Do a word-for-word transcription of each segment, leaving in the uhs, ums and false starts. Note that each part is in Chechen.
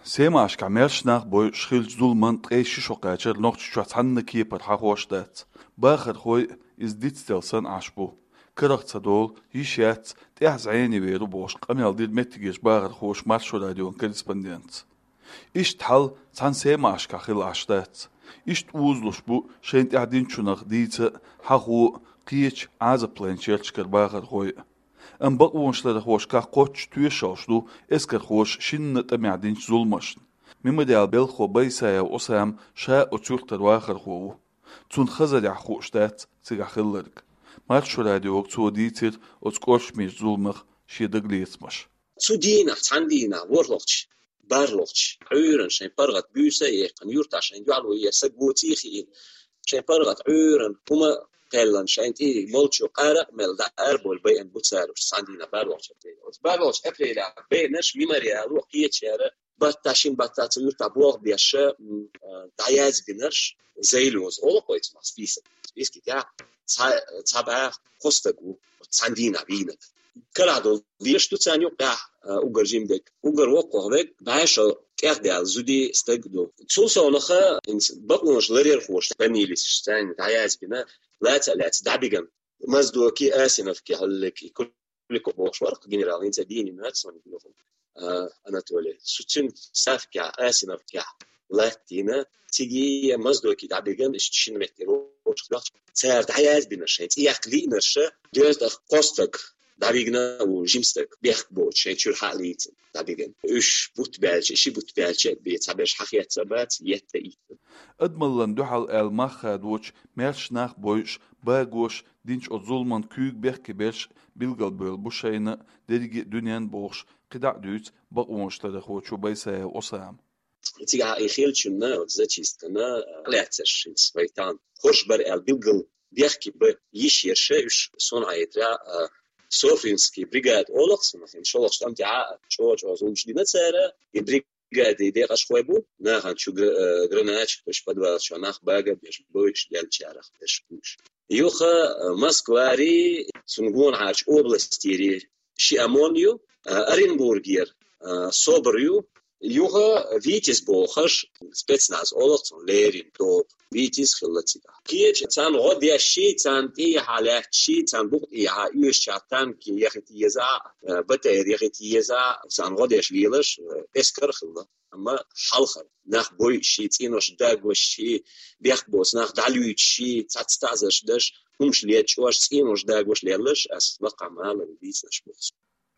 Семашкахь маьрша нах бойуш хиллачу зуламан ткъе ши шо кхаьчар Нохчийчохь цхьанна кепара хьахош дац. Бахархой иза дицдала санна Ӏаш бу. Карах ца долу, йиш яц, тӀаьхьа зӀене вер ву бохуш, къамел дира меттигерчу бахархоша Маршо радион корреспондентца. Иштта хьал цхьана Семашкахь хилла Ӏаш дац. Иштта узалуш бу шайна тӀехь динчунах дийца а, хьахо а, кхечу Ӏазап лайначу ярташкара бахархой а. Амма бакъонашларъярхошкахь кхоччуш тоьшаллаш ду эскархоша шинна тӀамехь динчу зуламашна. Мемориалан белхахо Байсаев Ӏусам ша оцу юьртара вахархо ву. Цунна хазарехь хууш дац цигахь хилларг. Маршо радиога цо дийцира оцу кӀоршамечу зуламах шен дагалецамаш. Цу дийнахь, цхьана дийнахь, ворхӀалгӀачу, бархӀалгӀачу Ӏуьйранна шайн паргӀат буьйса а яьккхина, юьртахь шайн дуьхьало еш саг воций а хиъна, шайн паргӀат Ӏуьйранна хӀума кхаьллина, шайна тӀе молчо къара а мелла, дӀа арабовла байина бу цара уьш цхьана дийнахь, бархӀалгӀачу апрелехь. Оцу бархӀалгӀачу апрелехь байинарш мемориало кхечара баттахь, шина баттахь цу юьртахь болх беш, м, а, дӀаяздинарш, зайлоза олу-кх вай цунах список. Списки тӀехь цхьа, цхьа бӀе кхо стаг ву, цхьана дийнахь вийнарг. Карахь долу леш ду царна юккъехь, а, уггар жима дерг. Уггар воккхах верг бӀе шо тӀехдаьлла зуда стаг ду. Цул совнаха, хӀинца бакъонаш ларъярхоша фамилеш царна дӀаяздина, лаца а лаьцна дӀабигна. Моздоке, Асиновке, хьаллаке, Куликов бохуш вара-кх генерал, хӀинца дийна ма дац суна юха, а, Анатолий. Цу-, цуьнан Савкехь, Асиновкехь латтийна, цига Моздоке дӀабигна, иштта шина метте рочух доьхча, цара дӀаяздинарш, шайн цӀе яккха лиънарш, доьзна тӀаккха кхо стаг дӀавигна, ву жима стаг, бехк боцуш, шайн чуьра хьа а лийцина дӀабигна. Уьш бутт баьлча, ши бутт баьлча а бен, цхьаберш хьахецна а бац, етта а йитина. Адамаллин дуьхьал аьлла мах хадочу, маьрша нах бойуш, багош, динчу оцу зуламан куьйга бехке берш билгалбевлла бу шайна дерриге а дуьненна бохуш, кхидӀа а дуьйцу бакъонашларъярхочо Байсаев Ӏусама. Цигахь и хиллачунна, оцу зачисткана, а, лаьцнарш хӀинца вай тахана хӀорш бара аьлла билггал бехке бан йиш ерш, уьш суна хетарехь, а, Софринский бригада олу-кх суна, хӀинца шолгӀачу тӀам тӀехь а чӀогӀа-чӀогӀа зуламаш дина цара, и бригада бригади декъашхой бу, нахана чу гра-, э, гранач, то есть подвал чохь нах бага а беш, бойуш деллачарах берш бу уьш. Юха, э, Москвари, цунна гонахьарчу областери ши ОМОН ю, э, Оренбургера, э, СОБР ю, юха ВИТИЗ бохуш, спецназ олу-кх цунна, леррина тоба. ВИТИЗ хилла цигахь. Кхечу царна гӀо дешший, царна тӀехьа лаьтташий, царна букъа тӀехьа оьшучарна танки яхийта еза, э, БТР яхийта еза, царна гӀо деш лелаш, э, эскар а хилла. Амма хьалхара нах бойушший, цӀенош дагошший, бехк боцу нах дӀалуьйтушший, цхьацца таӀзарш деш, хӀумаш лечкъош, цӀенош дагош лелларш ас лакхахь ма аллара дийцинарш боху.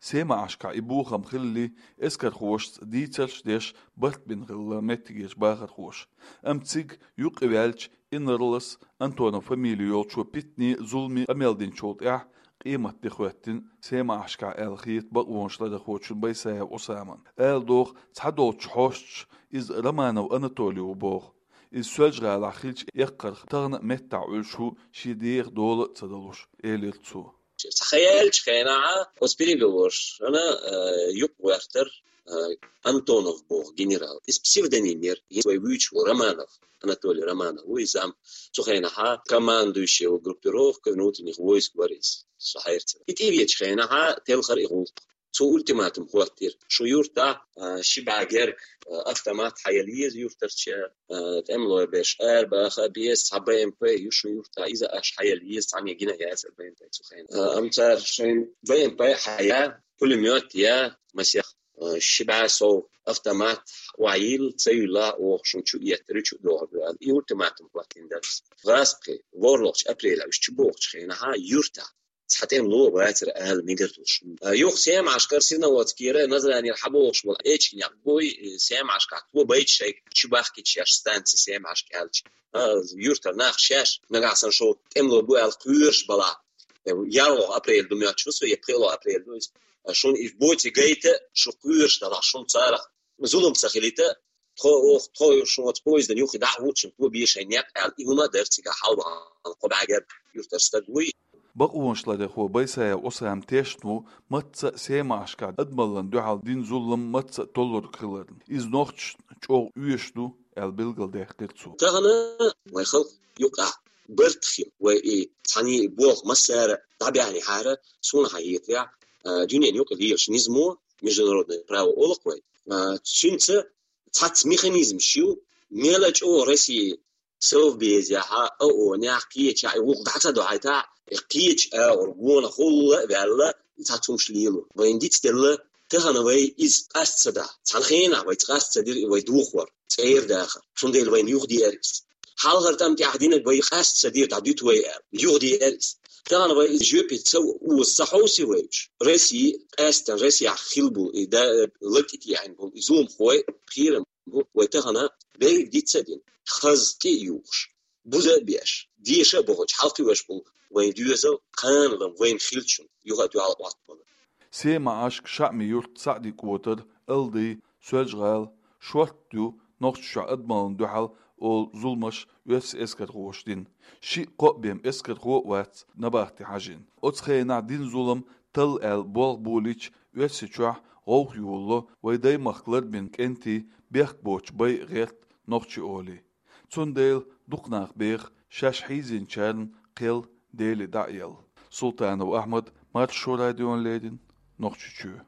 Семашкахь и бохам хилале, эскархошца дийцарш а деш, барт бина хилла меттигерчу бахархоша. Амма цига юкъаваьллачу инарлас Антонов фамили йолчо питане, зуламе къамел динчул тӀаьхьа къематде хӀоьттина Семашкахь аьлла хета бакъонашларъярхочунна Байсаев Ӏусамана. Ала догӀу, цхьадолчу хьосташа иза Романов Анатолий ву боху. Иза Соьлжа-ГӀалахь хилча эккхарх тахана а меттахь Ӏуьллуш ву, шен деха дола а ца далуш, элира цо. Цхьа хан яьллачу хенахь оцу переговоршна, э, юкъ гӀоьртира, э, Антонов боху генерал. Иза псевдоним яра, иза вай вуьйцуш ву Романов, Анатолий Романов ву иза зам. Цу хенахь командующий группировкой внутренних войск вара иза, со хьаьрцира. И тӀевеачу хенахь телхира и гӀуллакх. Цо ультиматум хӀоттийра: шун юьртахь, а, ши бӀе герга, а, автомат хьаелла еза юьртарчу, а, тӀемалой берш арабаха а беза, цхьа БМП ю шун юьртахь, иза аша хьаелла еза, цхьанне гина яцара БМП цу хенахь. А, амма цара шайн БМП хьаяь, пулемёт яь, масех, а, ши бӀе сов автомат охьайилла, ца юьллахь, оха шуна чу эттар ю, чу дохур ду аьлла, и ультиматум хӀоттийна дара. ГӀазкхи, ворхӀалгӀачу апрелехь уьш чу бохучу хенахь юьртахь цхьа тӀемало вацара ала мегар долуш. А, юха Семашкара, Серноводскера, Назранера хьабохуш болу эчигнех буй, Семашкахь тобайча шайга чу бахкича шаьш станци Семашка аьлча. А, юьртара нах шаьш, нагахь санна шо тӀемало бу аьлла кхоьруш балахь. ЯлхолгӀа апрель ду моьттуш ву со, я пхоьалгӀа апрель ду иза. А, шуна и боций гайта, шу кхоьруш далахь, шуна царах зулам ца хилийта, тхо, оха, тхо шуна оцу поездана юххе дӀа а хӀуттуш, тобе шайн некъ аьлла, и хӀума а дара цигахь хьалабахана кхо бӀе герга юьртара стаг вуй. Бакъонашларъярхо Байсаев Ӏусам тешна ву мацца а Семашкахь адамаллина дуьхьал дина зулам мацца а толлург хиларна. Иза нохчашна чӀогӀа оьшуш ду аьлла билгалдаьккхира цо. Тахана вайн халкъ юкъахь барт хила, вай и цхьаьний болх массара а дӀабаьхьнехьара, суна хьахетарехь, а, дуьненан юкъа лелаш низамо, международное право олу-кх вай, а, цуьнца цхьацца механизмаш ю, мел а чӀогӀа Россия совбезехьа, а о, нах кхеча, и вукх дӀа ца дохьайтахь, и кхеча агӀор гонахула а ваьлла, цхьацца хӀумаш лело. Вайна дицделла, тахана вай иза къаста ца дахь. Цхьана хенахь вай къаста ца дира, и вай духар, цӀера дахар. Цундела вайна юхадеара иза. Хьалхара тӀам тӀехь динарг вай къаста ца дира, дӀадуьту вай аьлла, юхадеара иза. Тахана вай иза жоьпе ца оза ца хьовсий вай уьш. Россия, къаьстина Россияхь хилла болу, и да, латӀе тӀехьийна болу, и зуламхой, кхерам бу, вай тахана берриг диц а дина, хаза тӀе а юхуш, буза а беш, деша а бохуьйтуш, хьалкхиош болу вайн доьзал, кханалан вайна хилчун юха а дуьхьал Ӏоттабала. Сема Ӏашка, ШаӀми-Юрт, СаӀди-КӀотар, Алдай, Соьлжа-ГӀала, шортта ю Нохчийчохь адамаллина дуьхьал олу зуламаш оьрсийн эскархоша дина. Шиъ-кхоъ бен эскархо а вац набахте хьажийна. Оцу хенахь дина зулам талла аьлла болх болийча, Оьрсийчохь гӀовгӀа йолало вай даймахка ларбина кӀентий бехк боцуш байа гӀерта нохчий олий. Цундела дукха нах беха шаьш хьийзинчарна кхел Деле дӀа а елла. Султанов Ахьмад, Маршо радиона леррина, Нохчийчоь.